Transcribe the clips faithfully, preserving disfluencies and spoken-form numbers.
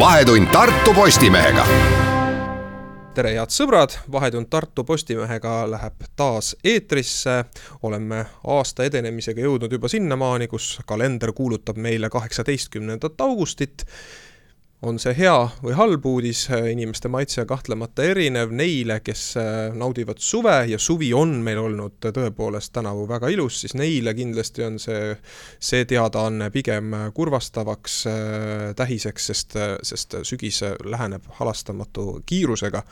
Vahetund Tartu Postimehega. Tere head sõbrad, Vahetund Tartu Postimehega läheb taas eetrisse. Oleme aasta edenemisega jõudnud juba sinnamaani, kus kalender kuulutab meile kaheksateistkümnendat augustit. On see hea või halb uudis, inimeste maitse kahtlemata erinev neile, kes naudivad suve ja suvi on meil olnud tõepoolest tänavu väga ilus, siis neile kindlasti on see, see teadaanne pigem kurvastavaks tähiseks, sest, sest sügis läheneb halastamatu kiirusega.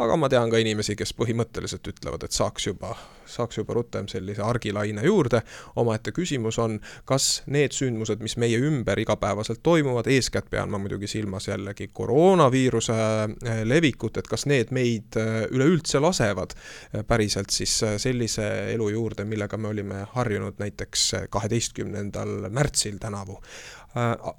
Aga ma tean ka inimesi, kes põhimõtteliselt ütlevad, et saaks juba, saaks juba rutem sellise argilaine juurde. Omaette küsimus on, kas need sündmused, mis meie ümber igapäevaselt toimuvad, eeskätt pean ma muidugi silmas jällegi koroonaviiruse levikut, et kas need meid üleüldse lasevad päriselt siis sellise elu juurde, millega me olime harjunud näiteks kaheteistkümnendal märtsil tänavu.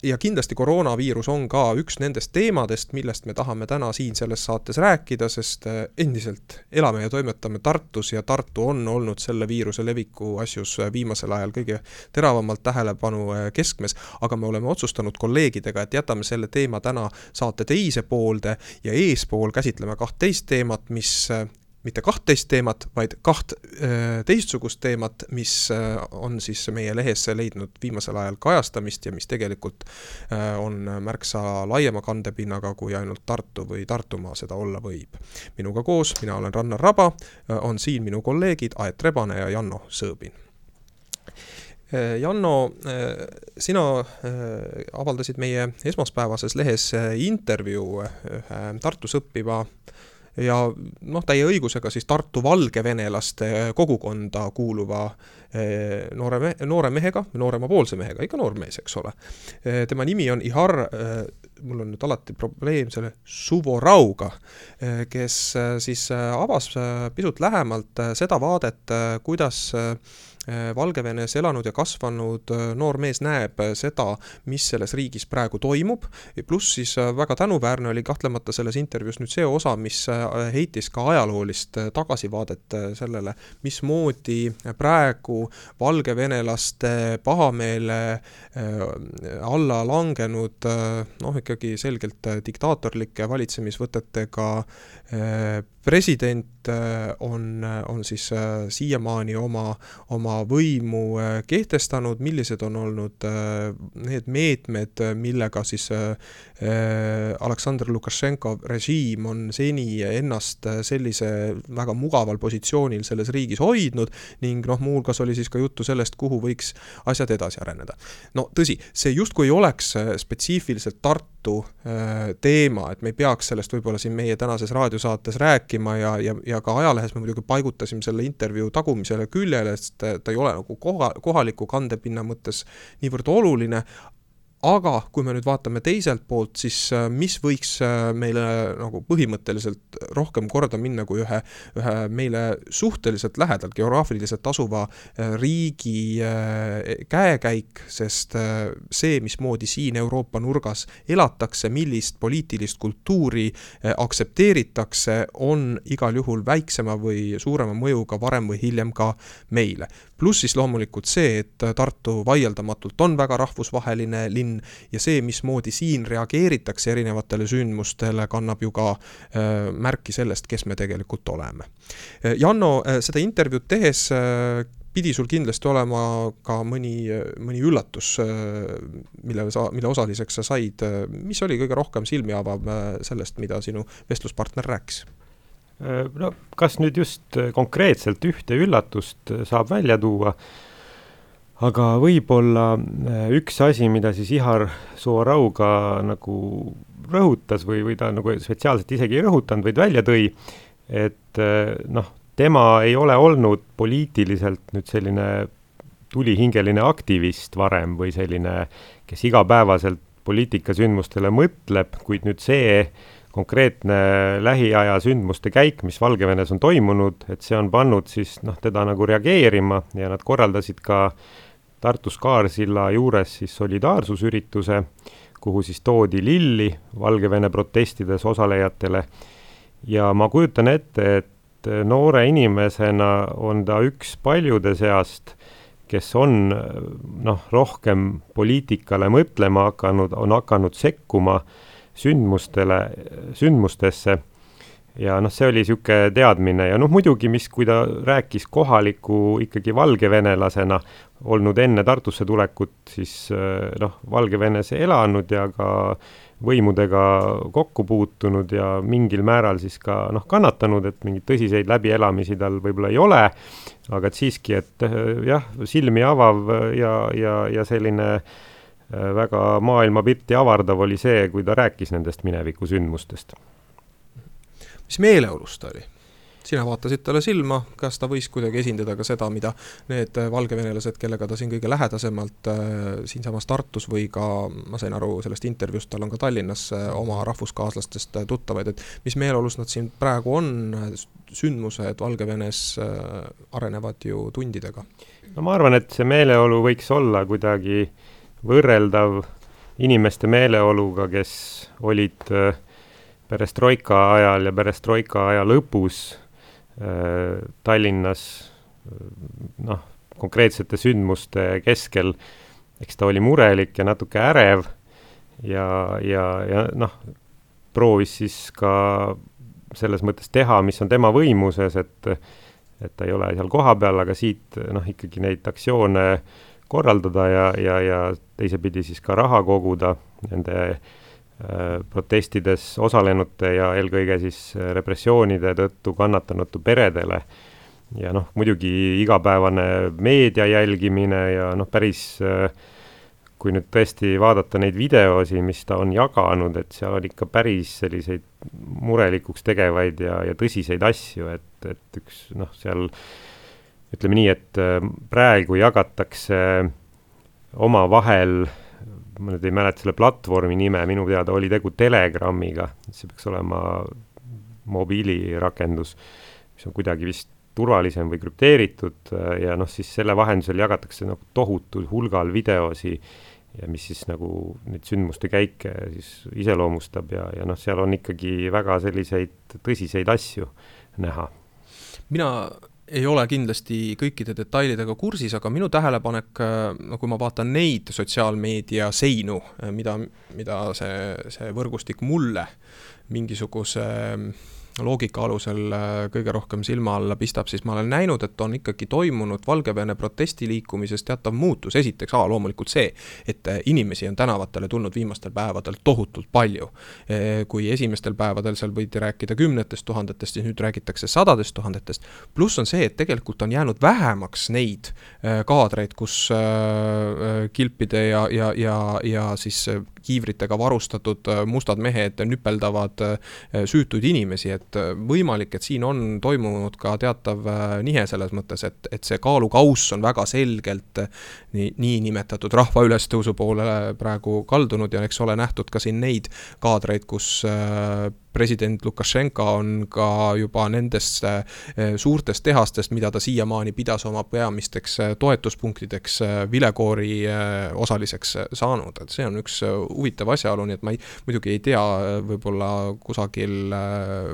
Ja kindlasti koroonaviirus on ka üks nendest teemadest, millest me tahame täna siin selles saates rääkida, sest endiselt elame ja toimetame Tartus ja Tartu on olnud selle viiruse leviku asjus viimasel ajal kõige teravamalt tähelepanu keskmes, aga me oleme otsustanud kolleegidega, et jätame selle teema täna saate teise poolde ja eespool käsitleme kahtteist teemat, mis mitte kahtteist teemat, vaid kaht teistsugust teemat, mis on siis meie lehes leidnud viimasel ajal kajastamist ja mis tegelikult on märksa laiema kandepinnaga kui ainult Tartu või Tartumaa seda olla võib. Minuga koos, mina olen Rannar Raba, on siin minu kolleegid Aet Rebane ja Janno Sõõbin. Janno, sina avaldasid meie esmaspäevases lehes intervjuu Tartus õppiva ja noh, täie õigusega siis Tartu valgevenelaste kogukonda kuuluva noore, me, noore mehega, noorema poolse mehega, ikka noormees, eks ole. Tema nimi on Ihar, mul on nüüd alati probleem selle Suvorauga, kes siis avas pisut lähemalt seda vaadet, kuidas Valgevenes elanud ja kasvanud noor mees näeb seda, mis selles riigis praegu toimub. Plus siis väga tänuväärne oli kahtlemata selles intervjuus nüüd see osa, mis heitis ka ajaloolist tagasivaadet sellele, mismoodi praegu valgevenelaste pahameele alla langenud, noh ikkagi selgelt diktaatorlike valitsemisvõtetega president on, on siis siiamaani oma, oma võimu kehtestanud, millised on olnud need meetmed, millega siis Aleksandr Lukašenko režiim on seni ennast sellise väga mugaval positsioonil selles riigis hoidnud ning noh, muuhulgas oli siis ka juttu sellest, kuhu võiks asjad edasi areneda. No tõsi, see justkui ei oleks spetsiifiliselt Tartu teema, et me ei peaks sellest võib-olla siin meie tänases raadiosaates rääkima ja, ja, ja ka ajalehes me muidugi paigutasime selle intervjuu tagumisele küljele, sest ta ei ole nagu koha, kohaliku kandepinna mõttes niivõrd oluline. Aga kui me nüüd vaatame teiselt poolt, siis mis võiks meile nagu põhimõtteliselt rohkem korda minna kui ühe, ühe meile suhteliselt lähedalt geograafiliselt asuva riigi käekäik, sest see, mismoodi siin Euroopa nurgas elatakse, millist poliitilist kultuuri aksepteeritakse, on igal juhul väiksema või suurema mõjuga varem või hiljem ka meile. Plus siis loomulikult see, et Tartu vaieldamatult on väga rahvusvaheline linn ja see, mismoodi siin reageeritakse erinevatele sündmustele, kannab ju ka äh, märki sellest, kes me tegelikult oleme. Janno, seda intervjuud tehes äh, pidi sul kindlasti olema ka mõni, mõni üllatus, mille, sa, mille osaliseks sa said. Mis oli kõige rohkem silmi avav sellest, mida sinu vestluspartner rääkis? No, kas nüüd just konkreetselt ühte üllatust saab välja tuua, aga võib-olla üks asi, mida siis Ihar Suvorauga nagu rõhutas või, või ta nagu spetsiaalselt isegi ei rõhutanud, vaid välja tõi, et noh, tema ei ole olnud poliitiliselt nüüd selline tulihingeline aktivist varem või selline, kes igapäevaselt poliitikasündmustele mõtleb, kuid nüüd see konkreetne lähiaja sündmuste käik, mis Valgevenes on toimunud, et see on pannud siis noh, teda nagu reageerima ja nad korraldasid ka Tartus Kaarsilla juures siis solidaarsusürituse, kuhu siis toodi lilli Valgevene protestides osalejatele. Ja ma kujutan ette, et noore inimesena on ta üks paljude seast, kes on noh, rohkem poliitikale mõtlema hakanud, on hakanud sekkuma sündmustele, sündmustesse ja noh, see oli niisugune teadmine ja noh, muidugi, mis, kui ta rääkis kohaliku ikkagi valgevenelasena olnud enne Tartusse tulekut, siis noh, Valgevenes elanud ja ka võimudega kokku puutunud ja mingil määral siis ka noh, kannatanud, et mingid tõsiseid läbielamisi tal võib-olla ei ole, aga et siiski, et jah, silmi avav ja, ja, ja selline väga maailmapilti avardav oli see, kui ta rääkis nendest mineviku sündmustest. Mis meeleolus ta oli? Sina vaatasid talle silma, kas ta võis kuidagi esindada ka seda, mida need valgevenelased, kellega ta siin kõige lähedasemalt äh, siinsamas Tartus või ka, ma sain aru sellest intervjuust, tal on ka Tallinnas äh, oma rahvuskaaslastest äh, tuttavaid, et mis meeleolus nad siin praegu on, sündmused Valgevenes äh, arenevad ju tundidega? No ma arvan, et see meeleolu võiks olla kuidagi võrreldav inimeste meeleoluga, kes olid äh, perestroika ajal ja perestroika aja lõpus Tallinnas noh, konkreetsete sündmuste keskel, eks ta oli murelik ja natuke ärev ja, ja, ja noh, proovis siis ka selles mõttes teha, mis on tema võimuses, et, et ta ei ole seal koha peal, aga siit noh, ikkagi neid aktsioone korraldada ja, ja, ja teisepidi siis ka raha koguda nende protestides osalenute ja eelkõige siis repressioonide tõttu kannatanute peredele. Ja noh, muidugi igapäevane meedia jälgimine ja noh, päris, kui nüüd tõesti vaadata neid videosi, mis ta on jaganud, et seal on ikka päris selliseid murelikuks tegevaid ja, ja tõsiseid asju, et, et üks noh, seal ütleme nii, et praegu jagatakse oma vahel, ma nüüd ei mäleta selle platvormi nime, minu teada oli tegu Telegramiga, see peaks olema mobiilirakendus, mis on kuidagi vist turvalisem või krüpteeritud ja noh, siis selle vahendusel jagatakse nagu tohutul hulgal videosi ja mis siis nagu neid sündmuste käike siis iseloomustab ja, ja noh, seal on ikkagi väga selliseid tõsiseid asju näha. Mina ei ole kindlasti kõikide detailidega kursis, aga minu tähelepanek, no kui ma vaatan neid sotsiaalmeedia seinu, mida, mida see, see võrgustik mulle mingisuguse loogika alusel kõige rohkem silma alla pistab, siis ma olen näinud, et on ikkagi toimunud Valgevene protestiliikumises teatav muutus. Esiteks, aa, loomulikult see, et inimesi on tänavatele tulnud viimastel päevadel tohutult palju. Kui esimestel päevadel seal võidi rääkida kümnetest tuhandetest, siis nüüd räägitakse sadadest tuhandetest. Pluss on see, et tegelikult on jäänud vähemaks neid kaadreid, kus kilpide ja, ja, ja, ja siis kiivritega varustatud mustad mehed nüpeldavad süütuid inimesi, et võimalik, et siin on toimunud ka teatav nihe selles mõttes, et, et see kaalukauss on väga selgelt nii, nii nimetatud rahva ülestõusu poole praegu kaldunud ja eks ole nähtud ka siin neid kaadreid, kus president Lukašenka on ka juba nendest suurtest tehastest, mida ta siiamaani pidas oma peamisteks toetuspunktideks vilekoori osaliseks saanud. Et see on üks huvitav asjaolu, nii et ma ei, muidugi ei tea, võib-olla kusagil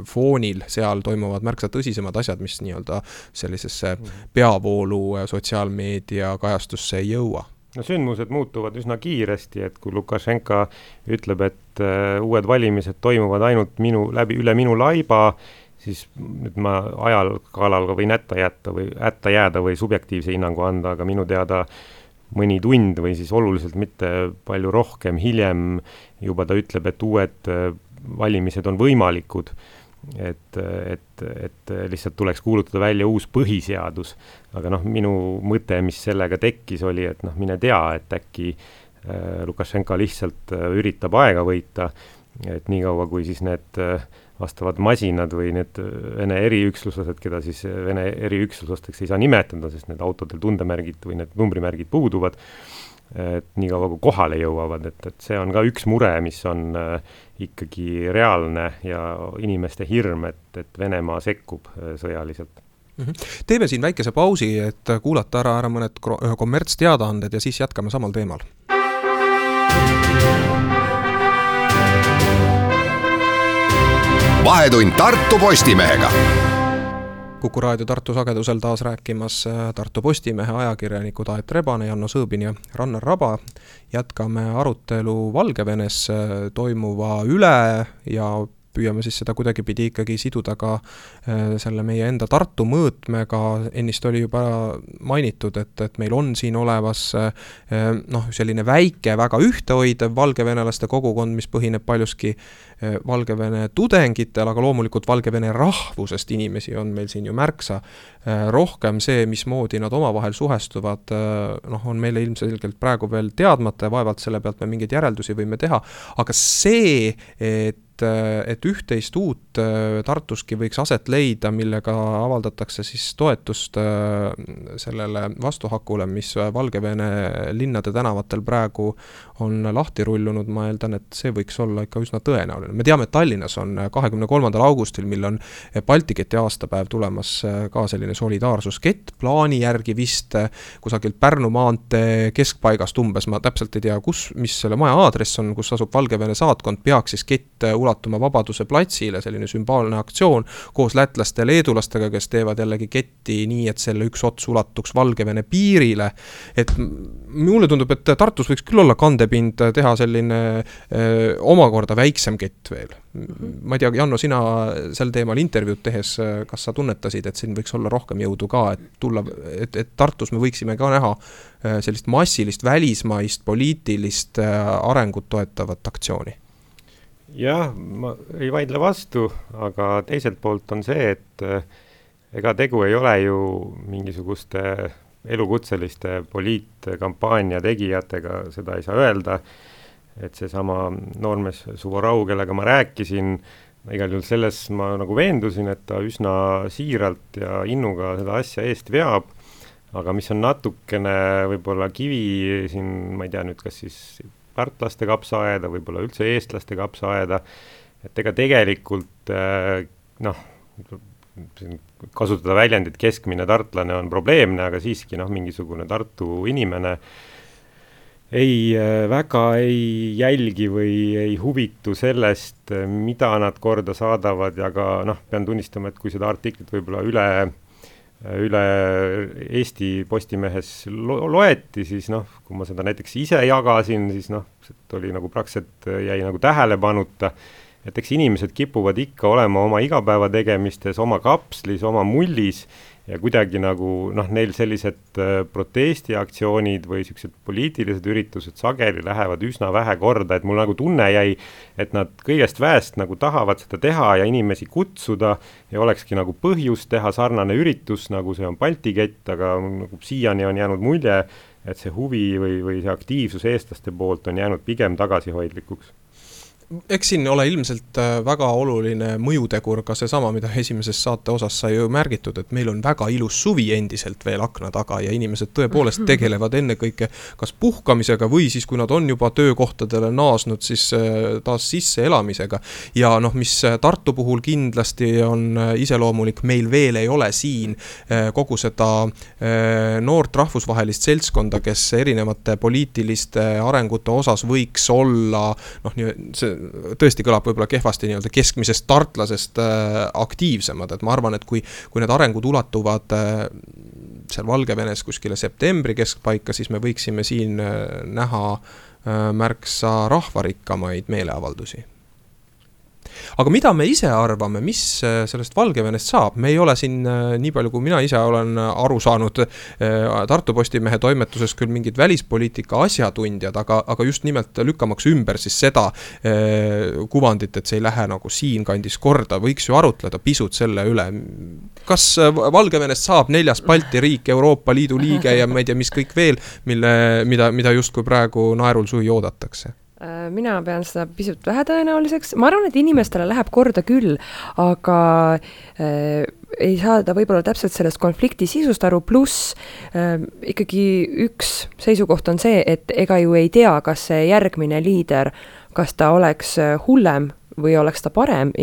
foonil seal toimuvad märksa tõsisemad asjad, mis nii-öelda sellisesse peavoolu sotsiaalmeedia kajastusse ei jõua. No sündmused muutuvad üsna kiiresti, et kui Lukašenka ütleb, et uh, uued valimised toimuvad ainult minu, läbi, üle minu laiba, siis nüüd ma ajal kaalal võin ätta, jätta või, ätta jääda või subjektiivse hinnangu anda, aga minu teada mõni tund või siis oluliselt mitte palju rohkem hiljem juba ta ütleb, et uued valimised on võimalikud. Et, et, et lihtsalt tuleks kuulutada välja uus põhiseadus. Aga noh, minu mõte, mis sellega tekkis, oli, et noh, mine tea, et äkki äh, Lukašenka lihtsalt äh, üritab aega võita, et nii kaua, kui siis need äh, vastavad masinad või need Vene eriüksluslased, keda siis Vene eriüksuslasteks ei saa nimetada, sest need autodel tundemärgid või need numbrimärgid puuduvad, et nii kaua kui kohale jõuavad, et, et see on ka üks mure, mis on äh, ikkagi reaalne ja inimeste hirm, et, et Venemaa sekkub äh, sõjaliselt. Teeme siin väikese pausi, et kuulata ära, ära mõned kommertsteadaanded ja siis jätkame samal teemal. Vahetund Tartu Postimehega. Kuku raadio Tartu sagedusel taas rääkimas Tartu Postimehe ajakirjanikud Aet Rebane, Janno Sõõbin ja Rannar Raba. Jätkame arutelu Valgevenes toimuva üle ja püüame siis seda kuidagipidi ikkagi siduda ka selle meie enda Tartu mõõtmega. Ennist oli juba mainitud, et, et meil on siin olevas noh, selline väike, väga ühtehoidev valgevenelaste kogukond, mis põhineb paljuski Valgevene tudengitel, aga loomulikult Valgevene rahvusest inimesi on meil siin ju märksa rohkem. See, mismoodi nad omavahel suhestuvad, noh, on meile ilmselgelt praegu veel teadmata ja vaevalt selle pealt me mingeid järeldusi võime teha. Aga see, et et üht-teist uut Tartuski võiks aset leida, millega avaldatakse siis toetust sellele vastuhakule, mis Valgevene linnade tänavatel praegu on lahti rullunud. Ma eeldan, et see võiks olla ikka üsna tõenäoline. Me teame, et Tallinnas on kahekümne kolmandal augustil, mil on Baltiketi aastapäev tulemas ka selline solidaarsuskett plaani järgi vist kusagilt Pärnu maantee keskpaigast umbes. Ma täpselt ei tea, kus, mis selle maja aadress on, kus asub Valgevene saatkond, peaks siis kett ulatuma Vabaduse platsile, selline sümbaalne aktsioon koos lätlaste ja leedulastega, kes teevad jällegi ketti nii, et selle üks ots ulatuks Valgevene piirile. Et mulle tundub, et Tartus võiks küll olla kandepind teha selline öö, omakorda väiksem kett veel. Ma ei tea, Janno, sina sel teemal intervjuud tehes, kas sa tunnetasid, et siin võiks olla rohkem jõudu ka, et, tulla, et, et Tartus me võiksime ka näha sellist massilist välismaist poliitilist arengut toetavat aktsiooni? Jah, ma ei vaidle vastu, aga teiselt poolt on see, et ega tegu ei ole ju mingisuguste elukutseliste poliitkampaania tegijatega, seda ei saa öelda, et see sama noormees Suvorau, kellega ma rääkisin, igal juhul selles ma nagu veendusin, et ta üsna siiralt ja innuga seda asja eest veab, aga mis on natukene võib-olla kivi siin, ma ei tea nüüd, kas siis tartlaste kapsaaeda, võib-olla üldse eestlaste kapsaaeda, et ega tegelikult noh, kasutada väljendit keskmine tartlane on probleemne, aga siiski noh, mingisugune Tartu inimene ei väga ei jälgi või ei huvitu sellest, mida nad korda saadavad ja ka noh, pean tunnistama, et kui seda artiklit võib-olla üle üle Eesti Postimehes lo- loeti, siis noh, kui ma seda näiteks ise jagasin, siis noh, see oli nagu praktiliselt jäi nagu tähelepanuta, et eks inimesed kipuvad ikka olema oma igapäeva tegemistes, oma kapslis, oma mullis ja kuidagi nagu noh, neil sellised protestiaktsioonid või sellised poliitilised üritused sageli lähevad üsna vähe korda, et mul nagu tunne jäi, et nad kõigest väest nagu tahavad seda teha ja inimesi kutsuda ja olekski nagu põhjus teha sarnane üritus, nagu see on Balti kett, aga nagu siiani on jäänud mulje, et see huvi või, või see aktiivsus eestlaste poolt on jäänud pigem tagasihoidlikuks. Eks siin ole ilmselt väga oluline mõjutegur ka seesama, mida esimeses saate osas sai ju märgitud, et meil on väga ilus suvi endiselt veel akna taga ja inimesed tõepoolest tegelevad ennekõike kas puhkamisega või siis, kui nad on juba töökohtadele naasnud, siis taas sisse elamisega. Ja noh, mis Tartu puhul kindlasti on iseloomulik, meil veel ei ole siin kogu seda noort rahvusvahelist seltskonda, kes erinevate poliitiliste arengute osas võiks olla, noh, see tõesti kõlab võib-olla kehvasti nii-öelda keskmisest tartlasest äh, aktiivsemad, et ma arvan, et kui, kui need arengud ulatuvad äh, seal Valgevenes kuskile septembri keskpaika, siis me võiksime siin äh, näha äh, märksa rahvarikkamaid meeleavaldusi. Aga mida me ise arvame, mis sellest Valgevenest saab? Me ei ole siin nii palju, kui mina ise olen aru saanud Tartu Postimehe toimetuses küll mingid välispoliitika asjatundjad, aga, aga just nimelt lükkamaks ümber siis seda kuvandit, et see ei lähe nagu siin kandis korda, võiks ju arutleda pisut selle üle. Kas Valgevenest saab neljas Balti riik, Euroopa Liidu liige ja ma ei tea, mis kõik veel, mille, mida, mida justkui praegu naerul suhi oodatakse? Mina pean seda pisut vähetõenäoliseks. Ma arvan, et inimestele läheb korda küll, aga äh, ei saada võib-olla täpselt sellest konflikti sisust aru, pluss äh, ikkagi üks seisukoht on see, et ega ju ei tea, kas see järgmine liider, kas ta oleks hullem või oleks ta parem,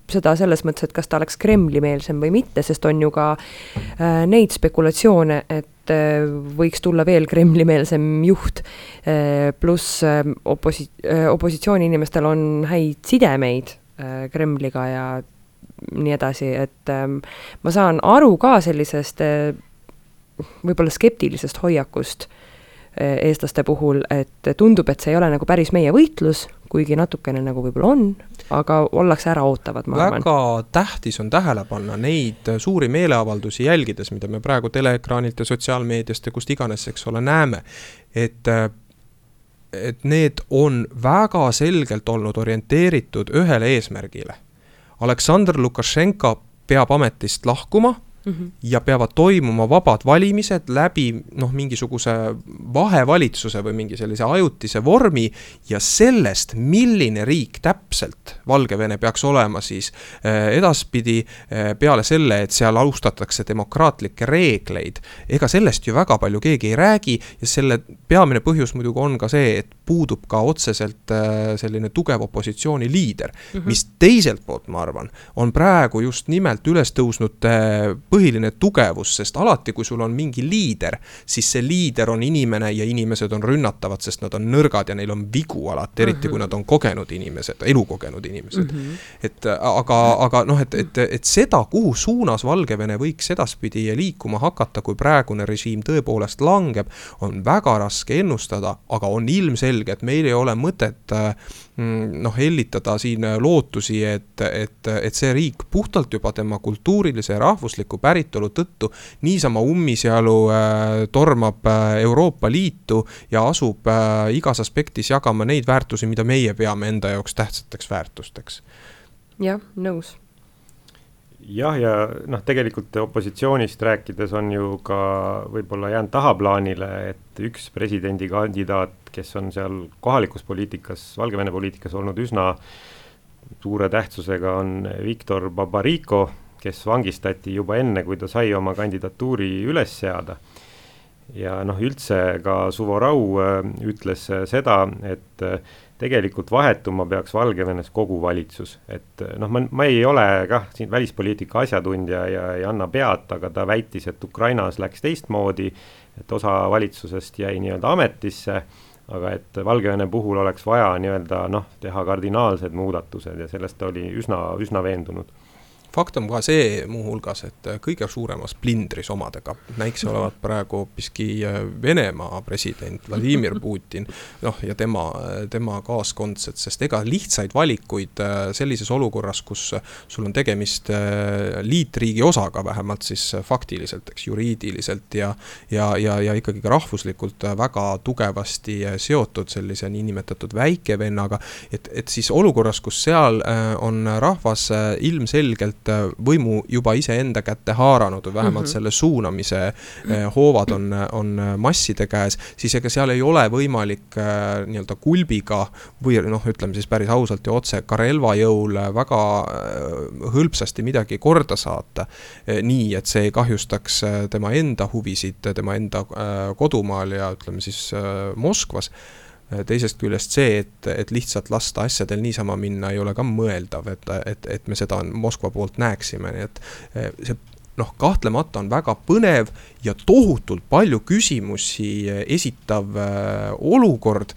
seda selles mõttes, et kas ta oleks Kremli-meelsem või mitte, sest on ju ka äh, neid spekulatsioone, et äh, võiks tulla veel Kremli-meelsem juht, äh, pluss äh, oposi- äh, opositsiooni inimestel on häid sidemeid äh, Kremliga ja nii edasi, et ähm, ma saan aru ka sellisest äh, võib-olla skeptilisest hoiakust äh, eestlaste puhul, et tundub, et see ei ole nagu päris meie võitlus, kuigi natukene nagu võib-olla on, aga ollakse ära ootavad, ma arvan. Väga tähtis on tähele panna neid suuri meeleavaldusi jälgides, mida me praegu teleekraanilt ja sotsiaalmeediast ja kust iganes, eks ole, näeme, et et need on väga selgelt olnud orienteeritud ühele eesmärgile. Aleksandr Lukašenka peab ametist lahkuma mm-hmm. ja peavad toimuma vabad valimised läbi noh, mingisuguse vahevalitsuse või mingi sellise ajutise vormi ja sellest, milline riik täpselt Valgevene peaks olema siis edaspidi peale selle, et seal austatakse demokraatlikke reegleid. Ega sellest ju väga palju keegi ei räägi ja selle peamine põhjus muidugi on ka see, et puudub ka otseselt selline tugev opositsiooni liider, mm-hmm. mis teiselt poolt, ma arvan, on praegu just nimelt üles tõusnud põhiline tugevus, sest alati, kui sul on mingi liider, siis see liider on inimene ja inimesed on rünnatavad, sest nad on nõrgad ja neil on vigu alati, eriti mm-hmm. kui nad on kogenud inimesed, elukogenud inimesed. Mm-hmm. Et aga, aga noh, et, et, et seda, kuhu suunas Valgevene võiks edaspidi liikuma hakata, kui praegune režiim tõepoolest langeb, on väga raske ennustada, aga on ilmselge, et meil ei ole mõtet noh, hellitada siin lootusi, et, et, et see riik puhtalt juba tema kultuurilise ja rahvusliku päritolu tõttu niisama ummisjalu tormab Euroopa Liitu ja asub igas aspektis jagama neid väärtusi, mida meie peame enda jaoks tähtsateks väärtusteks. Jah, nõus. Jah, ja noh, tegelikult opositsioonist rääkides on ju ka võib-olla jäänud tahaplaanile, et üks presidendikandidaat, kes on seal kohalikus poliitikas, Valgevene poliitikas olnud üsna suure tähtsusega, on Viktor Babariko, kes vangistati juba enne, kui ta sai oma kandidatuuri üles seada. Ja noh, üldse ka Suvorau ütles seda, et tegelikult vahetuma peaks Valgevenes kogu valitsus. Et noh, ma, ma ei ole kah siin välispoliitika asjatundja ja ei anna pead, aga ta väitis, et Ukrainas läks teistmoodi, et osa valitsusest jäi nii-öelda ametisse, aga et Valgevene puhul oleks vaja nii-öelda noh, teha kardinaalsed muudatused ja sellest oli üsna, üsna veendunud. Fakt on ka see muuhulgas, et kõige suuremas plindris omadega näikse olevat praegu hoopiski Venemaa president Vladimir Putin noh, ja tema, tema kaaskondsed, sest ega lihtsaid valikuid sellises olukorras, kus sul on tegemist liitriigi osaga vähemalt siis faktiliselt, eks, juriidiliselt ja, ja, ja, ja ikkagi ka rahvuslikult väga tugevasti seotud sellise niinimetatud väikevennaga, et, et siis olukorras, kus seal on rahvas ilmselgelt võimu juba ise enda kätte haaranud või vähemalt mm-hmm. selle suunamise eh, hoovad on, on masside käes, siis ega seal ei ole võimalik eh, nii-öelda kulbiga või noh, ütleme siis päris ausalt ja otse ka relvajõul väga eh, hõlpsasti midagi korda saata eh, nii, et see ei kahjustaks tema enda huvisid, tema enda eh, kodumaal ja ütleme siis eh, Moskvas. Teisest küljest see, et, et lihtsalt lasta asjadel niisama minna ei ole ka mõeldav, et, et, et me seda Moskva poolt näeksime, nii et see noh, kahtlemata on väga põnev ja tohutult palju küsimusi esitav olukord,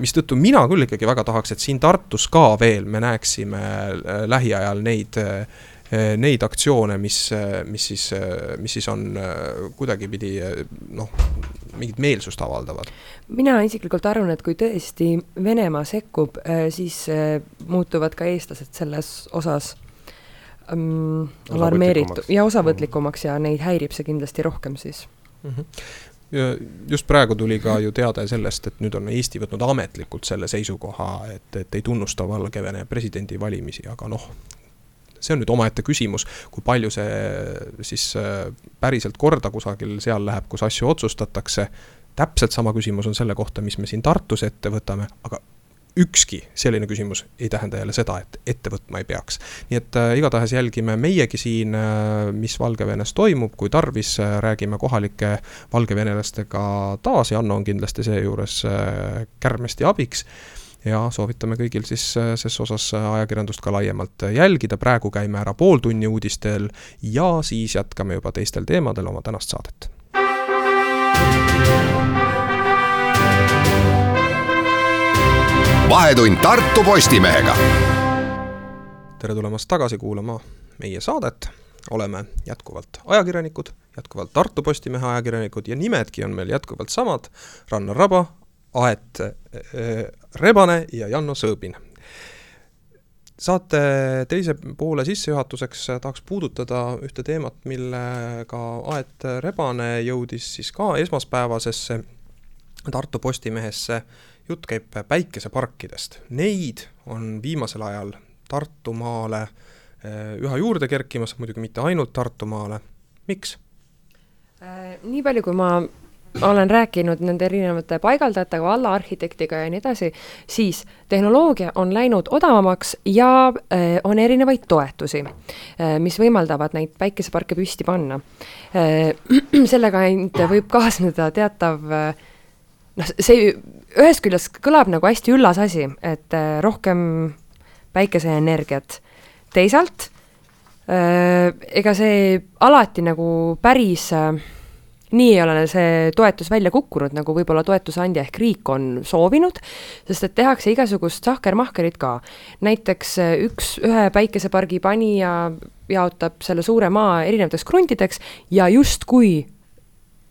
mistõttu mina küll ikkagi väga tahaks, et siin Tartus ka veel me näeksime lähiajal neid neid aktsioone, mis, mis, siis, mis siis on kuidagipidi noh, mingit meelsust avaldavad. Mina isiklikult arvan, et kui tõesti Venemaa sekkub, siis muutuvad ka eestlased selles osas um, alarmeeritud ja osavõtlikumaks ja neid häirib see kindlasti rohkem siis. Mm-hmm. Ja just praegu tuli ka ju teada sellest, et nüüd on Eesti võtnud ametlikult selle seisukoha, et, et ei tunnusta Valgevene presidendi valimisi, aga noh, see on nüüd omaette küsimus, kui palju see siis päriselt korda kusagil seal läheb, kus asju otsustatakse. Täpselt sama küsimus on selle kohta, mis me siin Tartus ette võtame, aga ükski selline küsimus ei tähenda jälle seda, et ette võtma ei peaks. Nii et äh, igatahes jälgime meiegi siin, äh, mis Valgevenes toimub, kui tarvis äh, räägime kohalike valgevenelastega taas ja Anno on kindlasti see juures äh, kärmesti abiks. Ja soovitame kõigil siis ses osas ajakirjandust ka laiemalt jälgida. Praegu käime ära pool tunni uudistel ja siis jätkame juba teistel teemadel oma tänast saadet. Vahetund Tartu Postimehega. Tere tulemast tagasi kuulama meie saadet, oleme jätkuvalt ajakirjanikud, jätkuvalt Tartu Postimehe ajakirjanikud ja nimedki on meil jätkuvalt samad, Rannar Raba, Aet äh, Rebane ja Janno Sõõbin. Saate teise poole sissejuhatuseks tahaks puudutada ühte teemat, millega Aet Rebane jõudis siis ka esmaspäevasesse Tartu Postimehesse. Jutt käib päikeseparkidest. Neid on viimasel ajal Tartumaale üha juurde kerkimas, muidugi mitte ainult Tartumaale. Miks? Nii palju, kui ma olen rääkinud nende erinevate paigaldajatega, valla arhitektiga ja nii edasi, siis tehnoloogia on läinud odavamaks ja on erinevaid toetusi, mis võimaldavad neid päikeseparke püsti panna. Sellega ainult võib kaasneda teatav, noh, see ühest küljest kõlab nagu hästi üllas asi, et rohkem päikeseenergiat. Teisalt, ega see alati nagu päris nii ei ole see toetus välja kukkunud, nagu võib-olla toetusandja ehk riik on soovinud, sest et tehakse igasugust sahkermahkerit ka. Näiteks üks ühe päikesepargi panija jaotab selle suure maa erinevateks kruntideks ja just kui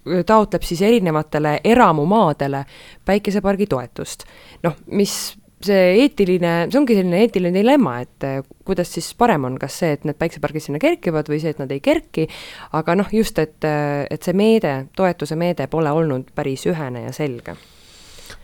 taotleb siis erinevatele eramumaadele päikesepargi toetust. Noh, mis see eetiline, see ongi selline eetiline dilemma, et kuidas siis parem on, kas see, et need päikesepargid sinna kerkivad või see, et nad ei kerki, aga noh, just, et, et see meede, toetuse meede pole olnud päris ühene ja selge.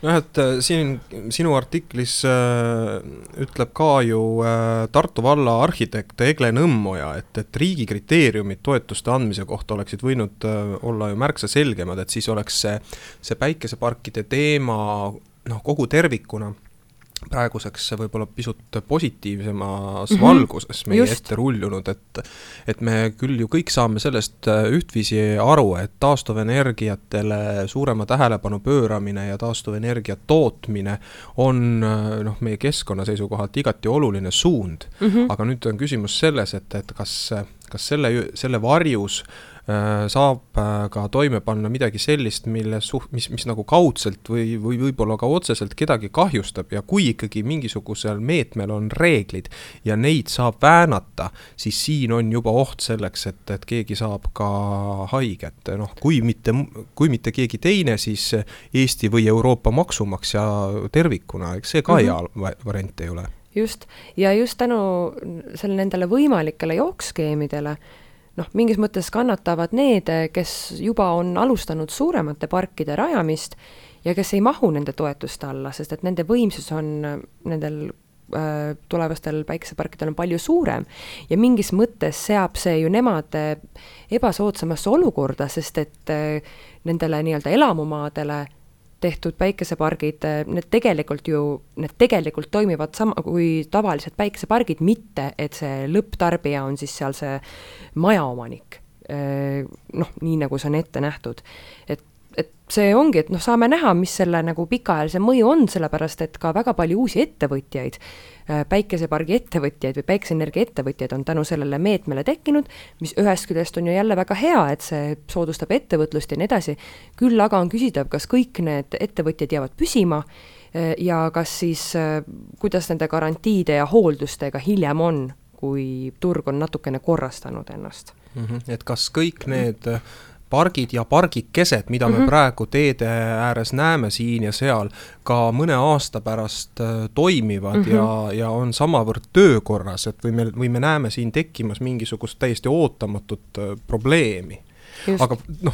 Noh, et siin sinu artiklis äh, ütleb ka ju äh, Tartu valla arhitekt Egle Nõmmoja, et, et riigi kriteeriumid toetuste andmise kohta oleksid võinud äh, olla ju märksa selgemad, et siis oleks see, see päikeseparkide teema noh, kogu tervikuna praeguseks võib-olla pisut positiivsemas mm-hmm. valguses meie Just. ette rullunud, et, et me küll ju kõik saame sellest ühtviisi aru, et taastuvenergiatele suurema tähelepanu pööramine ja taastuvenergia tootmine on noh, meie keskkonna seisukohalt igati oluline suund, mm-hmm. aga nüüd on küsimus selles, et, et kas, kas selle, selle varjus saab ka toime panna midagi sellist, mille suht, mis, mis nagu kaudselt või, või võib-olla ka otseselt kedagi kahjustab ja kui ikkagi mingisugusel meetmel on reeglid ja neid saab väänata, siis siin on juba oht selleks, et, et keegi saab ka haiget. Noh, kui mitte, kui mitte keegi teine, siis Eesti või Euroopa maksumaksja tervikuna, eks see ka mm-hmm. hea variant ei ole. Just, ja just tänu selle nendele võimalikele jookskeemidele noh, mingis mõttes kannatavad need, kes juba on alustanud suuremate parkide rajamist ja kes ei mahu nende toetuste alla, sest et nende võimsus on nendel äh, tulevastel päikeseparkidel on palju suurem ja mingis mõttes seab see ju nemad ebasoodsamasse olukorda, sest et äh, nendele nii-öelda elamumaadele tehtud päikesepargid, need tegelikult ju, need tegelikult toimivad sama kui tavalised päikesepargid, mitte et see lõpptarbija on siis seal see majaomanik. Noh, nii nagu see on ette nähtud. Et, et see ongi, et noh, saame näha, mis selle nagu pikaajalise mõju on, sellepärast et ka väga palju uusi ettevõtjaid, päikesepargi ettevõtjaid või päikeseenergia ettevõtjaid on tänu sellele meetmele tekkinud, mis ühest küljest on ju jälle väga hea, et see soodustab ettevõtlust ja nii edasi. Küll aga on küsitav, kas kõik need ettevõtjad jäävad püsima ja kas siis, kuidas nende garantiide ja hooldustega hiljem on, kui turg on natukene korrastanud ennast. Mm-hmm. Et kas kõik need pargid ja pargikesed, mida me mm-hmm. praegu teede ääres näeme siin ja seal, ka mõne aasta pärast toimivad mm-hmm. ja, ja on samavõrd töökorras, et või me, või me näeme siin tekkimas mingisugust täiesti ootamatut probleemi. Just. Aga noh,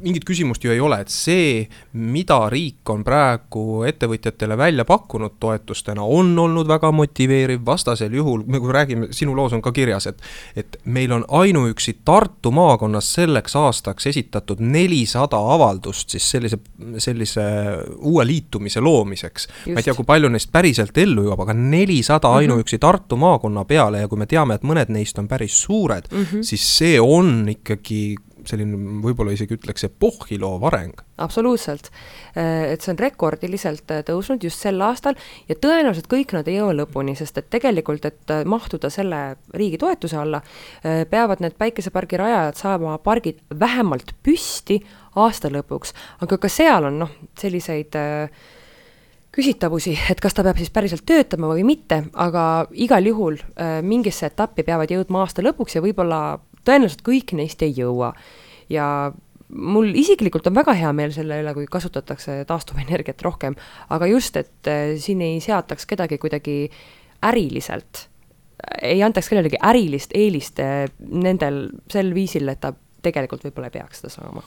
mingit küsimust ju ei ole, et see, mida riik on praegu ettevõtjatele välja pakkunud toetustena, on olnud väga motiveeriv. Vastasel juhul, me kui räägime, sinu loos on ka kirjas, et, et meil on ainuüksi Tartu maakonnas selleks aastaks esitatud nelisada avaldust siis sellise, sellise uue liitumise loomiseks. Just. Ma ei tea, kui palju neist päriselt ellu jõuab, aga nelisada mm-hmm. ainuüksi Tartu maakonna peale ja kui me teame, et mõned neist on päris suured, mm-hmm. siis see on ikkagi selline võib-olla isegi ütleks epohhiloov areng. Absoluutselt. Et see on rekordiliselt tõusnud just sel aastal ja tõenäoliselt kõik nad ei jõua lõpuni, sest et tegelikult, et mahtuda selle riigi toetuse alla, peavad need päikesepargi rajajad saama pargid vähemalt püsti aasta lõpuks, aga ka seal on noh, selliseid küsitavusi, et kas ta peab siis päriselt töötama või mitte, aga igal juhul äh, mingisse etappi peavad jõudma aasta lõpuks ja võib-olla tõenäoliselt kõik neist ei jõua. Ja mul isiklikult on väga hea meel selle üle, kui kasutatakse taastuvenergiat rohkem, aga just, et äh, siin ei seataks kedagi kuidagi äriliselt, ei antaks kellelegi ärilist eelist äh, nendel sel viisil, et ta tegelikult võib-olla ei peaks seda saama.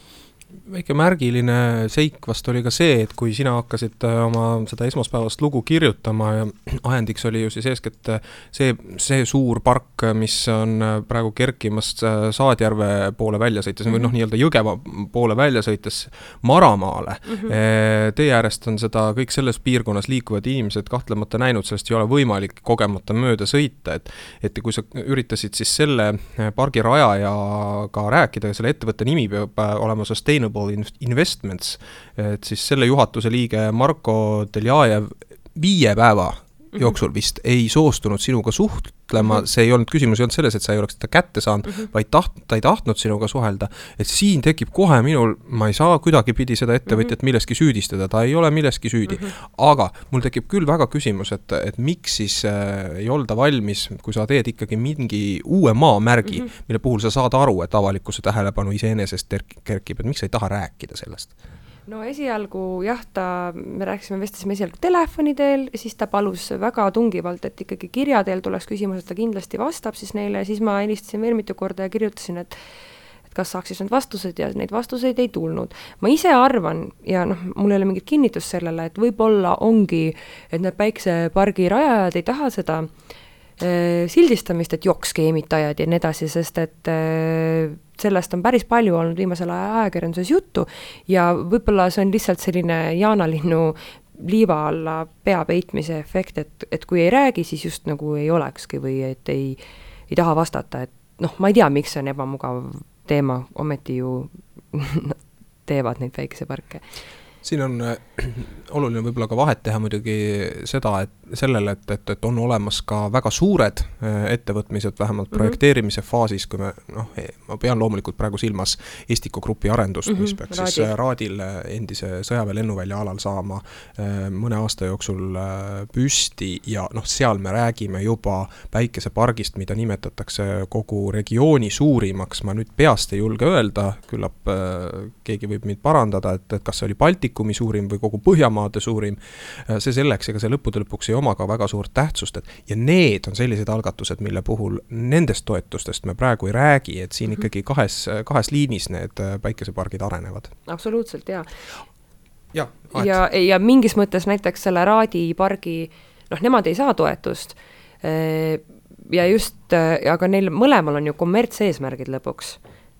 Väike märgiline seik vast oli ka see, et kui sina hakkasid oma seda esmaspäevast lugu kirjutama ja ajendiks oli ju siis eeskätt see, see suur park, mis on praegu kerkimas Saadjärve poole välja sõites mm -hmm. või noh, nii-öelda Jõgeva poole välja sõites Maramaale. Mm -hmm. Teie äärest on seda kõik selles piirkonnas liikuvad inimesed kahtlemata näinud, sellest ei ole võimalik kogemata mööda sõita, et, et kui sa üritasid siis selle pargi rajajaga rääkida, selle ettevõtte nimi peab olema Sustainable Investments, et siis selle juhatuse liige Marko Deljajev viie päeva jooksul vist ei soostunud sinuga suhtlema, see ei olnud küsimus, ei olnud selles, et sa ei oleks seda kätte saanud, mm -hmm. vaid taht, ta ei tahtnud sinuga suhelda, et siin tekib kohe minul, ma ei saa kuidagi pidi seda ettevõtjat milleski süüdistada, ta ei ole milleski süüdi, mm -hmm. aga mul tekib küll väga küsimus, et, et miks siis äh, ei olda valmis, kui sa teed ikkagi mingi uue maamärgi, mm -hmm. mille puhul sa saad aru, et avalikkuse tähelepanu iseenesest kerkib, et miks sa ei taha rääkida sellest? No esialgu jah, ta, me rääkisime, vestasime esialgu telefoni teel, siis ta palus väga tungivalt, et ikkagi kirja teel tuleks küsimus, et ta kindlasti vastab siis neile, siis ma helistasin veel mitu korda ja kirjutasin, et et kas saaks siis need vastused ja neid vastuseid ei tulnud. Ma ise arvan, ja noh, mul ei ole mingit kinnitust sellele, et võib-olla ongi, et need päiksepargi rajajad ei taha seda sildistamist, et joksskeemitajad ja nii edasi, sest et sellest on päris palju olnud viimasel ajal ajakirjanduses juttu ja võib-olla see on lihtsalt selline jaanalinnu liiva alla pea peitmise efekt, et, et kui ei räägi, siis just nagu ei olekski või et ei, ei taha vastata, et noh, ma ei tea, miks see on ebamugav teema, ometi ju teevad neid päikeseparke. Siin on äh, oluline võib-olla ka vahet teha muidugi seda, et sellele, et, et, et on olemas ka väga suured äh, ettevõtmised, vähemalt mm -hmm. projekteerimise faasis, kui me, noh, ma pean loomulikult praegu silmas Estiko Grupi arendust, mm -hmm. mis peaks Raadil. siis Raadil endise sõjaväe lennuvälja alal saama äh, mõne aasta jooksul äh, püsti ja noh, seal me räägime juba päikesepargist, mida nimetatakse kogu regiooni suurimaks, ma nüüd peast ei julge öelda, küllap äh, keegi võib mind parandada, et, et kas see oli Baltikumi suurim või kogu Põhjamaade suurim, see selleks, ega see lõppude lõpuks ei oma ka väga suurt tähtsust, et ja need on sellised algatused, mille puhul nendest toetustest me praegu ei räägi, et siin mm -hmm. ikkagi kahes, kahes liinis need päikesepargid arenevad. Absoluutselt, jaa. Ja, ja, ja mingis mõttes näiteks selle Raadi pargi, noh, nemad ei saa toetust ja just, aga neil mõlemal on ju kommertseesmärgid lõpuks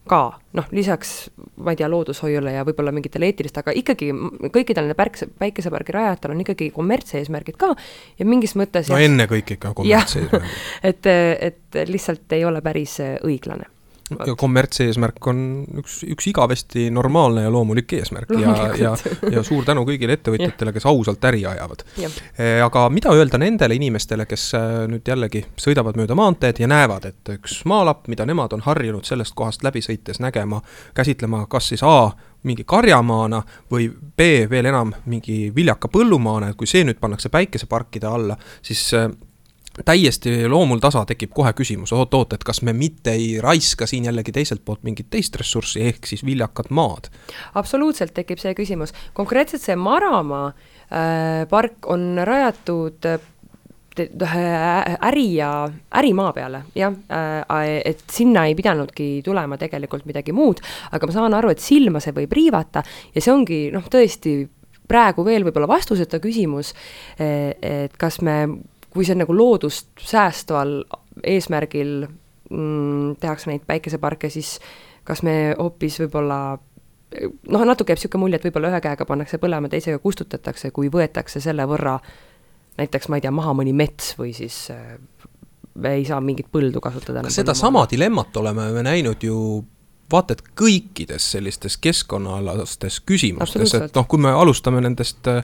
ka, noh, lisaks, ma ei tea, loodushoiule ja võib-olla mingitele eetilist, aga ikkagi kõikidel nende pärkse, päikesepargi rajajatel on ikkagi kommertseesmärgid ka ja mingis mõttes no jah, enne kõik ikka kommertseesmärgid. et, et lihtsalt ei ole päris õiglane. Ja kommertseesmärk on üks, üks igavesti normaalne ja loomulik eesmärk ja, ja, ja suur tänu kõigile ettevõtjatele, kes ausalt äri ajavad. E, aga mida öelda nendele inimestele, kes nüüd jällegi sõidavad mööda maanteed ja näevad, et üks maalapp, mida nemad on harjunud sellest kohast läbi sõites nägema, käsitlema kas siis A, mingi karjamaana või B, veel enam mingi viljaka põllumaana, et kui see nüüd pannakse päikeseparkide alla, siis täiesti loomul tasa tekib kohe küsimus, oot, oot, et kas me mitte ei raiska siin jällegi teiselt poolt mingit teist ressurssi, ehk siis viljakad maad? Absoluutselt tekib see küsimus. Konkreetselt see Maramaa äh, park on rajatud äh, äri ja ärimaa peale, jah, äh, et sinna ei pidanudki tulema tegelikult midagi muud, aga ma saan aru, et silma see võib riivata ja see ongi, noh, tõesti praegu veel võib-olla vastuseta küsimus, et kas me kui see nagu loodust säästval eesmärgil mm, tehakse neid päikeseparke, siis kas me hoopis võib-olla, noh, natuke jääb siuke mulje, et võib-olla ühe käega pannakse põlema, teisega kustutatakse, kui võetakse selle võrra näiteks, ma ei tea, maha mõni mets või siis äh, ei saa mingit põldu kasutada. Kas seda sama dilemmat oleme me näinud ju vaata, et kõikides sellistes keskkonnaalastes küsimustes, et noh, kui me alustame nendest äh,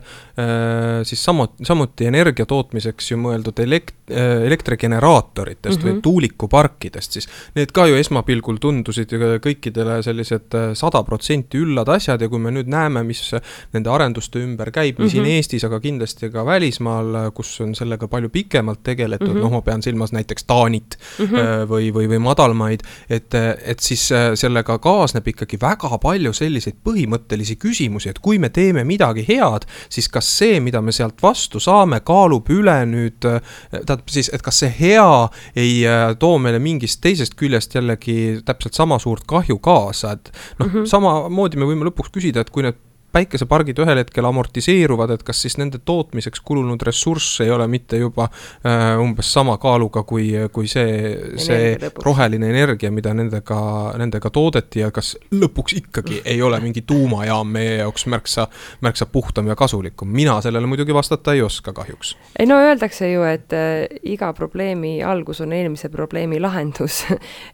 siis samuti, samuti energia tootmiseks ju mõeldud elekt-, elektrigeneraatoritest mm -hmm. või tuulikuparkidest, siis need ka ju esmapilgul tundusid kõikidele sellised sada protsenti üllad asjad ja kui me nüüd näeme, mis nende arenduste ümber käib, nii mm -hmm. siin Eestis, aga kindlasti ka välismaal, kus on sellega palju pikemalt tegeletud, mm -hmm. noh, ma pean silmas näiteks Taanit mm -hmm. või, või, või madalmaid, et, et siis sellega kaasneb ikkagi väga palju selliseid põhimõttelisi küsimusi, et kui me teeme midagi head, siis kas see, mida me sealt vastu saame, kaalub üle nüüd, tähendab siis, et kas see hea ei too meile mingist teisest küljest jällegi täpselt sama suurt kahju kaasa, et noh, mm -hmm. samamoodi me võime lõpuks küsida, et kui need päikesepargid ühel hetkel amortiseeruvad, et kas siis nende tootmiseks kulunud ressurss ei ole mitte juba äh, umbes sama kaaluga kui, kui see, see roheline energia, mida nendega, nendega toodeti ja kas lõpuks ikkagi ei ole mingi tuumajaam meie jaoks märksa, märksa puhtam ja kasulikum. Mina sellele muidugi vastata ei oska kahjuks. Ei no öeldakse ju, et äh, iga probleemi algus on eelmise probleemi lahendus,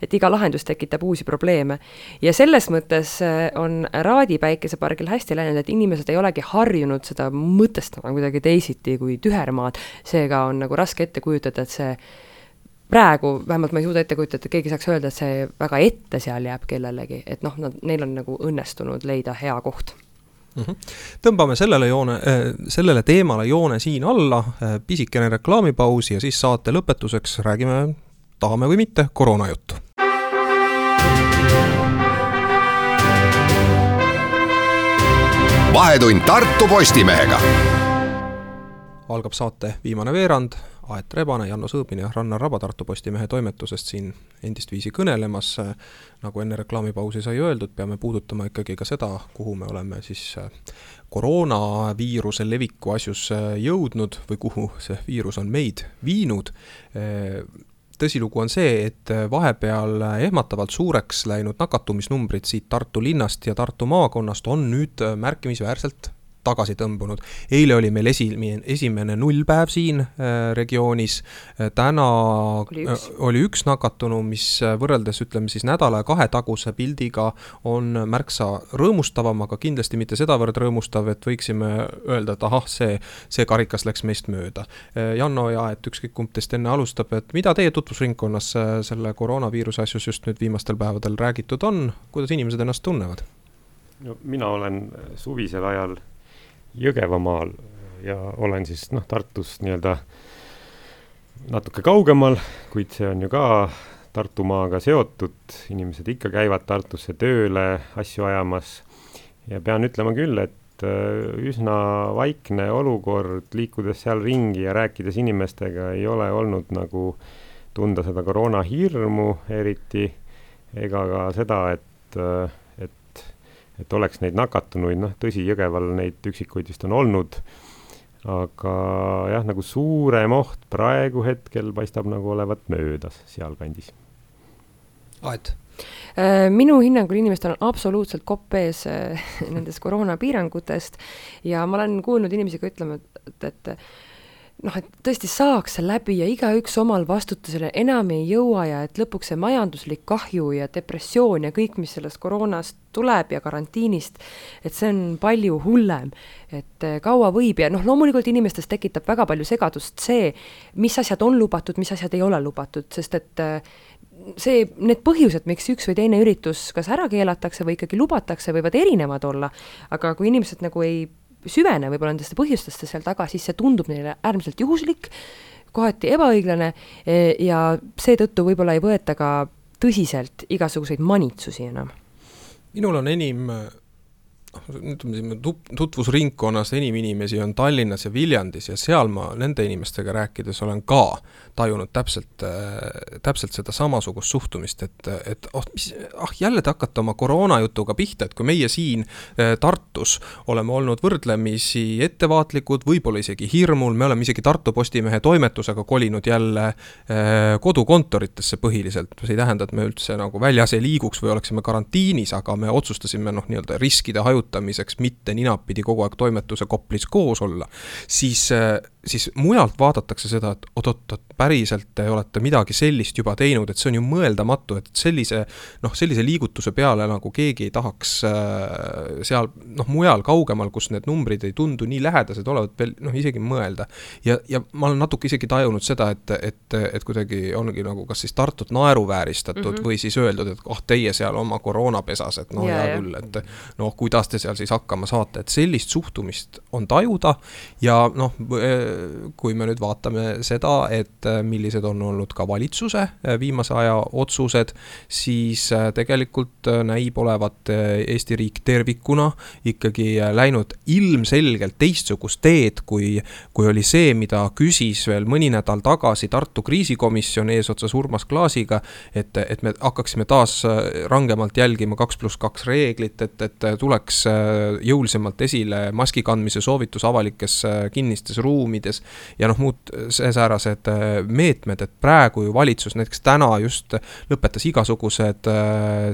et iga lahendus tekitab uusi probleeme ja selles mõttes on Raadi päikesepargil hästi läinud, et inimesed ei olegi harjunud seda mõtestama kuidagi teisiti kui tühermaad, seega on nagu raske ette kujutada, et see praegu, vähemalt ma ei suuda ette kujutada, et keegi saaks öelda, et see väga ette seal jääb kellelegi, et noh, nad, neil on nagu õnnestunud leida hea koht. Mm-hmm. Tõmbame sellele, joone, sellele teemale joone siin alla, pisikene reklaamipausi ja siis saate lõpetuseks räägime, tahame või mitte, koroonajuttu. Vahetund Tartu Postimehega. Algab saate viimane veerand, Aet Rebane, Janno Sõõbin ja Rannar Raba Tartu Postimehe toimetusest siin endist viisi kõnelemas. Nagu enne reklaamipausi sai öeldud, peame puudutama ikkagi ka seda, kuhu me oleme siis koroonaviiruse leviku asjus jõudnud või kuhu see viirus on meid viinud. Tõsilugu on see, et vahepeal ehmatavalt suureks läinud nakatumisnumbrid siit Tartu linnast ja Tartu maakonnast on nüüd märkimisväärselt tagasi tõmbunud. Eile oli meil esimene, esimene nullpäev siin äh, regioonis. Täna oli üks. Äh, oli üks nakatunu, mis võrreldes ütleme siis nädala ja kahe taguse pildiga on märksa rõõmustavam, aga kindlasti mitte sedavõrd rõõmustav, et võiksime öelda, et ahah, see, see karikas läks meist mööda. Äh, Janno ja et ükskõik kumb teist enne alustab, et mida teie tutvusringkonnas selle koroonaviiruse asjus just nüüd viimastel päevadel räägitud on, kuidas inimesed ennast tunnevad? No, mina olen suvisel ajal Jõgevamaal ja olen siis noh, Tartus nii-öelda natuke kaugemal, kuid see on ju ka Tartumaaga seotud. Inimesed ikka käivad Tartusse tööle asju ajamas ja pean ütlema küll, et üsna vaikne olukord, liikudes seal ringi ja rääkides inimestega ei ole olnud nagu tunda seda koroona hirmu eriti ega ka seda, et et oleks neid nakatunuid, noh tõsi, Jõgeval neid üksikuid vist on olnud, aga jah, nagu suurem oht praegu hetkel paistab nagu olevat möödas sealkandis. Aet? Minu hinnangul inimestel on absoluutselt kopp ees nendest koroonapiirangutest ja ma olen kuulnud inimesi ka ütlema, et, et noh, et tõesti saaks see läbi ja igaüks omal vastutusele enam ei jõua ja et lõpuks see majanduslik kahju ja depressioon ja kõik, mis sellest koroonast tuleb ja karantiinist, et see on palju hullem, et kaua võib ja noh, loomulikult inimestes tekitab väga palju segadust see, mis asjad on lubatud, mis asjad ei ole lubatud, sest et see, need põhjused, miks üks või teine üritus kas ära keelatakse või ikkagi lubatakse, võivad erinevad olla, aga kui inimesed nagu ei süvene võib-olla nendeste põhjustesse seal taga, siis see tundub neile äärmiselt juhuslik, kohati ebaõiglane ja seetõttu võib-olla ei võeta ka tõsiselt igasuguseid manitsusi enam. Minul on enim, tutvusringkonnas enim inimesi on Tallinnas ja Viljandis ja seal ma nende inimestega rääkides olen ka tajunud täpselt, täpselt seda samasugust suhtumist, et, et oh, mis, ah, jälle te hakkate oma koroonajutuga pihta, et kui meie siin Tartus oleme olnud võrdlemisi ettevaatlikud, võib-olla isegi hirmul, me oleme isegi Tartu Postimehe toimetusega kolinud jälle kodukontoritesse põhiliselt, see ei tähenda, et me üldse nagu väljas ei liiguks või oleksime karantiinis, aga me otsustasime noh, nii-öelda riskide hajutamiseks mitte ninapidi kogu aeg toimetuse Koplis koos olla, siis siis mujalt vaadatakse seda, et oot-oot, päriselt te olete midagi sellist juba teinud, et see on ju mõeldamatu, et sellise, noh, sellise liigutuse peale nagu keegi ei tahaks äh, seal, noh, mujal kaugemal, kus need numbrid ei tundu nii lähedased olevat veel, noh, isegi mõelda. Ja, ja ma olen natuke isegi tajunud seda, et, et, et kuidagi ongi nagu kas siis Tartut naeruvääristatud mm -hmm. või siis öeldud, et oh, teie seal oma koroonapesas, et no hea küll, et noh, kuidas te seal siis hakkama saate, et sellist suhtumist on tajuda ja noh, kui me nüüd vaatame seda, et millised on olnud ka valitsuse viimase aja otsused, siis tegelikult näib olevat Eesti riik tervikuna ikkagi läinud ilmselgelt teistsugust teed, kui, kui oli see, mida küsis veel mõni nädal tagasi Tartu kriisikomisjon eesotsas Urmas Klaasiga, et, et me hakkaksime taas rangemalt jälgima kaks pluss kaks reeglit, et, et tuleks jõulisemalt esile maski kandmise soovitus avalikes kinnistes ruumides ja noh, muud säärased meetmed, et praegu ju valitsus näiteks täna just lõpetas igasugused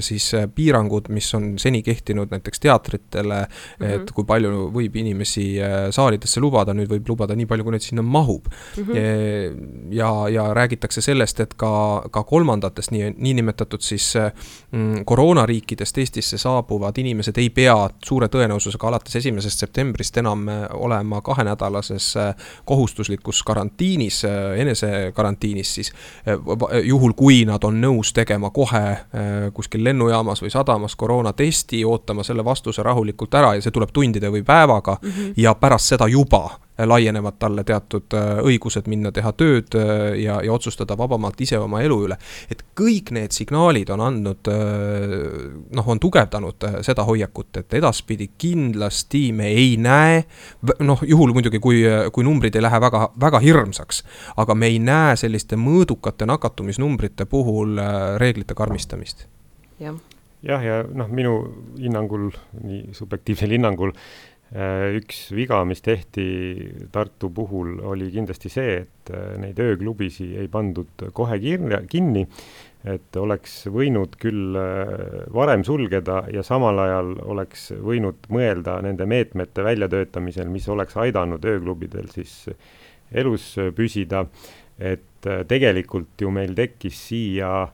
siis piirangud, mis on seni kehtinud näiteks teatritele, mm-hmm. et kui palju võib inimesi saalidesse lubada, nüüd võib lubada nii palju, kui neid sinna mahub. Mm-hmm. Ja, ja räägitakse sellest, et ka, ka kolmandatest nii, nii nimetatud siis mm, koroonariikidest Eestisse saabuvad inimesed ei pea suure tõenäosusega alates esimesest septembrist enam olema kahenädalases kohustuslikus karantiinis, enesekarantiinis siis, juhul kui nad on nõus tegema kohe kuskil lennujaamas või sadamas koroonatesti, ootama selle vastuse rahulikult ära ja see tuleb tundide või päevaga mm-hmm. ja pärast seda juba laienevad talle teatud õigused minna teha tööd ja, ja otsustada vabamalt ise oma elu üle. Et kõik need signaalid on andnud, noh, on tugevdanud seda hoiakut, et edaspidi kindlasti me ei näe, noh, juhul muidugi, kui, kui numbrid ei lähe väga, väga hirmsaks, aga me ei näe selliste mõõdukate nakatumisnumbrite puhul reeglite karmistamist. Jah, jah, ja noh, minu hinnangul, nii subjektiivsel hinnangul, üks viga, mis tehti Tartu puhul, oli kindlasti see, et neid ööklubisi ei pandud kohe kinni, et oleks võinud küll varem sulgeda ja samal ajal oleks võinud mõelda nende meetmete väljatöötamisel, mis oleks aidanud ööklubidel siis elus püsida, et tegelikult ju meil tekkis siia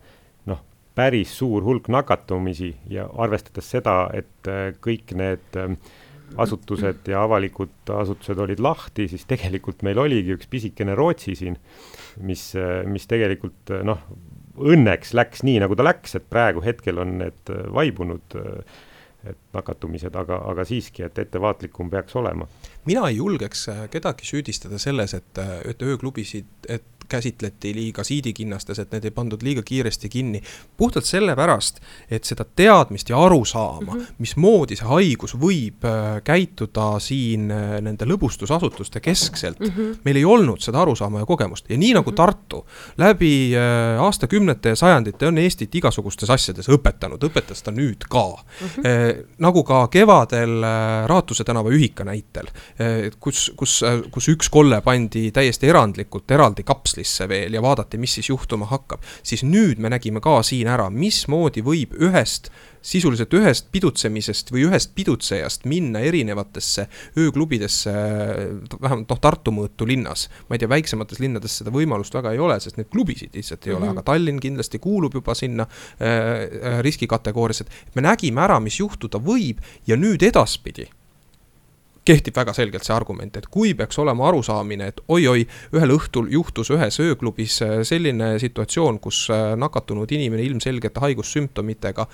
noh, päris suur hulk nakatumisi ja arvestades seda, et kõik need asutused ja avalikud asutused olid lahti, siis tegelikult meil oligi üks pisikene Rootsi siin, mis, mis tegelikult noh, õnneks läks nii, nagu ta läks, et praegu hetkel on need vaibunud et nakatumised, aga, aga siiski, et ettevaatlikum peaks olema. Mina ei julgeks kedagi süüdistada selles, et, et ööklubisid, et käsitleti liiga siidikinnastes, et need ei pandud liiga kiiresti kinni. Puhtalt sellepärast, et seda teadmist ja aru saama, mm -hmm. mismoodi see haigus võib käituda siin nende lõbustusasutuste keskselt, mm -hmm. meil ei olnud seda aru saama ja kogemust. Ja nii nagu mm -hmm. Tartu läbi aastakümnete ja sajandite on Eestit igasugustes asjades õpetanud, õpetas ta nüüd ka. Mm -hmm. eh, nagu ka kevadel Raatuse tänava ühika näitel, eh, kus, kus, kus üks kolle pandi täiesti erandlikult eraldi kaps veel ja vaadati, mis siis juhtuma hakkab, siis nüüd me nägime ka siin ära, mismoodi võib ühest, sisuliselt ühest pidutsemisest või ühest pidutsejast minna erinevatesse ööklubidesse, vähemalt noh, Tartu mõõtu linnas. Ma ei tea, väiksemates linnades seda võimalust väga ei ole, sest need klubisid lihtsalt ei mm-hmm. ole, aga Tallinn kindlasti kuulub juba sinna äh, riskikategoorias, et me nägime ära, mis juhtuda võib ja nüüd edaspidi kehtib väga selgelt see argument, et kui peaks olema arusaamine, et oi-oi, ühel õhtul juhtus ühes ööklubis selline situatsioon, kus nakatunud inimene ilmselgete haigussümptomitega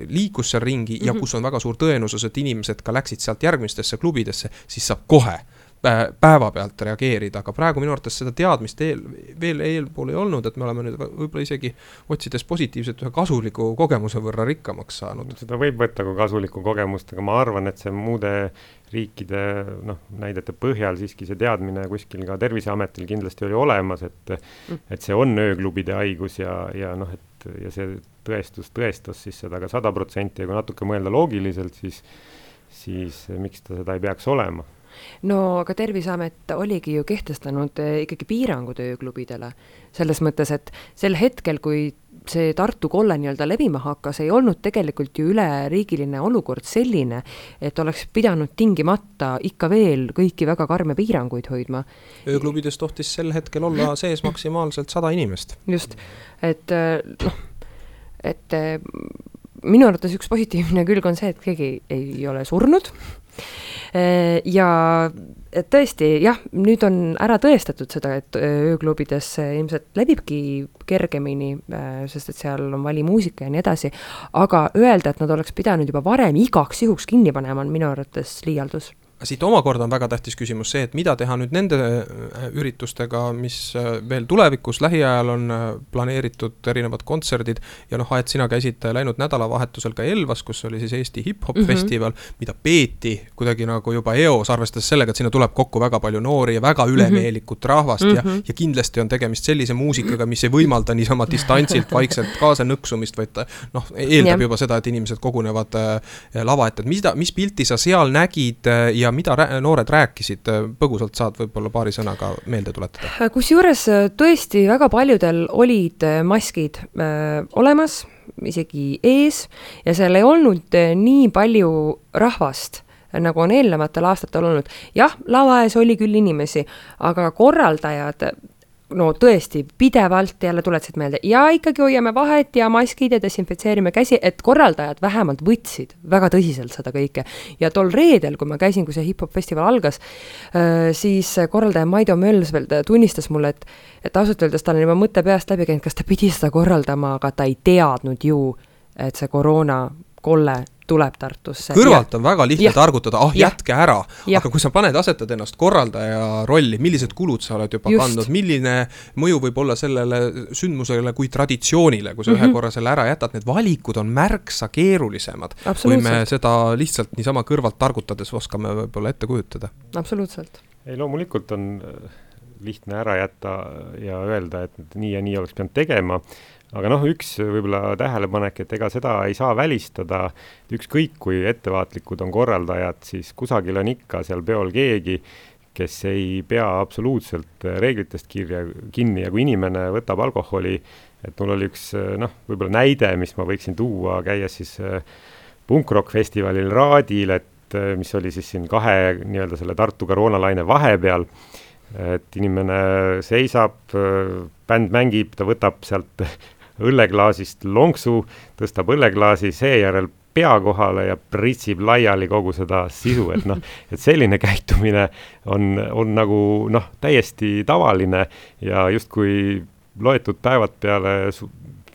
liikus seal ringi mm-hmm. ja kus on väga suur tõenäosus, et inimesed ka läksid sealt järgmistesse klubidesse, siis saab kohe päeva pealt reageerida, aga praegu minu arvates seda teadmist eel, veel eelpool ei olnud, et me oleme nüüd võib-olla isegi otsides positiivselt ühe kasuliku kogemuse võrra rikkamaks saanud. Seda võib võtta kui kasuliku kogemust, aga ma arvan, et see muude riikide noh, näidete põhjal siiski see teadmine kuskil ka Terviseametil kindlasti oli olemas, et, et see on ööklubide haigus ja, ja, noh, et, ja see tõestus tõestas siis seda ka sada protsenti ja kui natuke mõelda loogiliselt, siis, siis miks ta seda ei peaks olema? No aga Terviseamet oligi ju kehtestanud ikkagi piirangud ööklubidele. Selles mõttes, et sel hetkel, kui see Tartu kolle nii-öelda levima hakkas, ei olnud tegelikult ju üleriigiline olukord selline, et oleks pidanud tingimata ikka veel kõiki väga karme piiranguid hoidma. Ööklubides tohtis sel hetkel olla sees maksimaalselt sada inimest. Just, et noh, et minu arvates üks positiivne külg on see, et keegi ei ole surnud. Ja tõesti, jah, nüüd on ära tõestatud seda, et ööklubides ilmselt levibki kergemini, sest et seal on valimuusika ja nii edasi, aga öelda, et nad oleks pidanud juba varem igaks juhuks kinni panema, on minu arvates liialdus. Siit omakorda on väga tähtis küsimus see, et mida teha nüüd nende üritustega, mis veel tulevikus lähiajal on planeeritud erinevad kontserdid ja noh, et sina käisid läinud nädalavahetusel ka Elvas, kus oli siis Eesti hip-hop mm -hmm. festival, mida peeti kuidagi nagu juba eos, arvestades sellega, et sinna tuleb kokku väga palju noori ja väga ülemeelikut rahvast mm -hmm. ja, ja kindlasti on tegemist sellise muusikaga, mis ei võimalda niisama distantsilt vaikselt kaasa nõksumist, vaid noh, eeldab yeah. juba seda, et inimesed kogunevad lava ette. Mis, mis pilti sa seal nägid ja mida rää- noored rääkisid, põgusalt saad võib-olla paari sõnaga meelde tuletada? Kusjuures tõesti väga paljudel olid maskid äh, olemas, isegi ees, ja seal ei olnud nii palju rahvast, nagu on eelnevatel aastatel olnud. Jah, lava ees oli küll inimesi, aga korraldajad no tõesti, pidevalt jälle tuletasid meelde ja ikkagi hoiame vahet ja maskid ja desinfitseerime käsi, et korraldajad vähemalt võtsid väga tõsiselt seda kõike. Ja tol reedel, kui ma käisin, kui see hip-hop festival algas, siis korraldaja Maido Mölsveld tunnistas mulle, et, et ausalt öeldes tal on juba mõtte peast läbi käinud, kas ta pidi seda korraldama, aga ta ei teadnud ju, et see koroona kolle tuleb Tartusse. Kõrvalt on väga lihtne ja. targutada, ah, ja. jätke ära, ja. aga kui sa paned asetad ennast korraldaja rolli, millised kulud sa oled juba Just. kandnud, milline mõju võib olla sellele sündmusele kui traditsioonile, kui sa mm-hmm. ühe korra selle ära jätad, need valikud on märksa keerulisemad, kui me seda lihtsalt niisama kõrvalt targutades oskame võib-olla ette kujutada. Absoluutselt. Ei, loomulikult on lihtne ära jätta ja öelda, et nii ja nii oleks pidanud tegema. Aga noh, üks võib-olla tähelepanek, et ega seda ei saa välistada. Ükskõik, kui ettevaatlikud on korraldajad, siis kusagil on ikka seal peol keegi, kes ei pea absoluutselt reeglitest kirja, kinni ja kui inimene võtab alkoholi, et mul oli üks noh, võib-olla näide, mis ma võiksin tuua, käies siis punkrock festivalil Raadil, et mis oli siis siin kahe nii-öelda selle Tartu koroonalaine vahepeal, et inimene seisab, bänd mängib, ta võtab sealt õlleklaasist lonksu, tõstab õlleklaasi, seejärel pea kohale ja pritsib laiali kogu seda sisu, et noh, et selline käitumine on, on nagu noh, täiesti tavaline ja justkui loetud päevad peale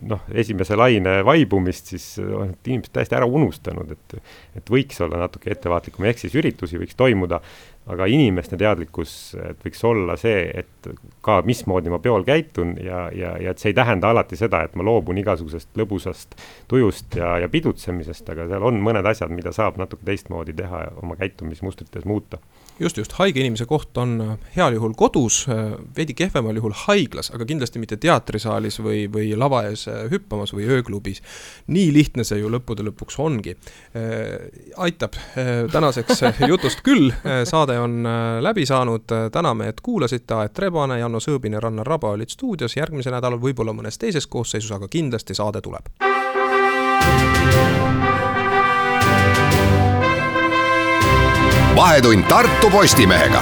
noh, esimese laine vaibumist, siis on inimesed täiesti ära unustanud, et, et võiks olla natuke ettevaatlikum, ehk siis üritusi võiks toimuda, aga inimeste teadlikkus, et võiks olla see, et ka mismoodi ma peol käitun ja, ja, ja et see ei tähenda alati seda, et ma loobun igasugusest lõbusast tujust ja, ja pidutsemisest, aga seal on mõned asjad, mida saab natuke teistmoodi teha ja oma käitumismustrites muuta. Just, just, haige inimese koht on heal juhul kodus, veidi kehvemal juhul haiglas, aga kindlasti mitte teatrisaalis või, või lava ees hüppamas või ööklubis. Nii lihtne see ju lõppude lõpuks ongi. Aitab tänaseks jutust küll, saade on läbi saanud, täname, et kuulasite, Aet Rebane, Janno Sõõbin ja Rannar Raba olid stuudios, järgmise nädalal võib-olla mõnes teises koosseisus, aga kindlasti saade tuleb. Vahetund Tartu Postimehega.